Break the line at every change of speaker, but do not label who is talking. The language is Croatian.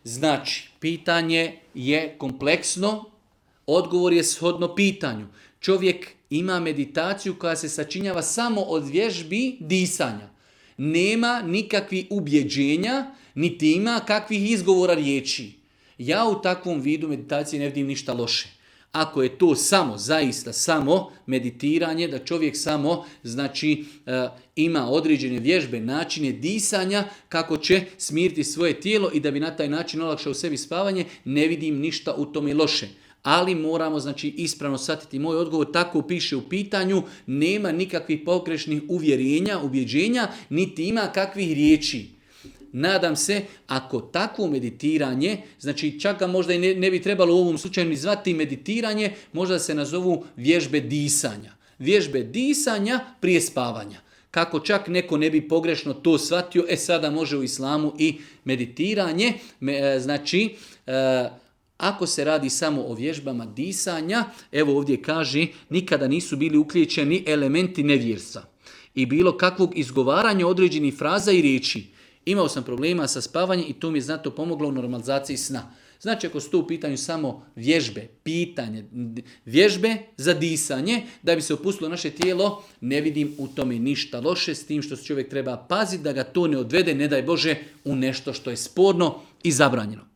Znači, pitanje je kompleksno, odgovor je shodno pitanju. Čovjek ima meditaciju koja se sačinjava samo od vježbi disanja. Nema nikakvih ubjeđenja, niti ima kakvih izgovora riječi. Ja u takvom vidu meditacije ne vidim ništa loše. Ako je to zaista samo meditiranje, da čovjek samo ima određene vježbe, načine disanja, kako će smiriti svoje tijelo i da bi na taj način olakšao sebi spavanje, ne vidim ništa u tome loše. Ali moramo ispravno shvatiti moj odgovor, tako piše u pitanju, nema nikakvih pogrešnih uvjerenja, ubjeđenja, niti ima kakvih riječi. Nadam se, ako takvo meditiranje, čak ga možda i ne bi trebalo u ovom slučaju ni zvati meditiranje, možda se nazovu vježbe disanja. Vježbe disanja prije spavanja. Kako čak neko ne bi pogrešno to shvatio, sada može u islamu i meditiranje. Ako se radi samo o vježbama disanja, evo ovdje kaže, nikada nisu bili uključeni elementi nevjerstva i bilo kakvog izgovaranja određenih fraza i riječi. Imao sam problema sa spavanjem i to mi je znatno pomoglo u normalizaciji sna. Znači, ako su to u pitanju samo vježbe za disanje, da bi se opustilo naše tijelo, ne vidim u tome ništa loše, s tim što čovjek treba paziti da ga to ne odvede, ne daj Bože, u nešto što je sporno i zabranjeno.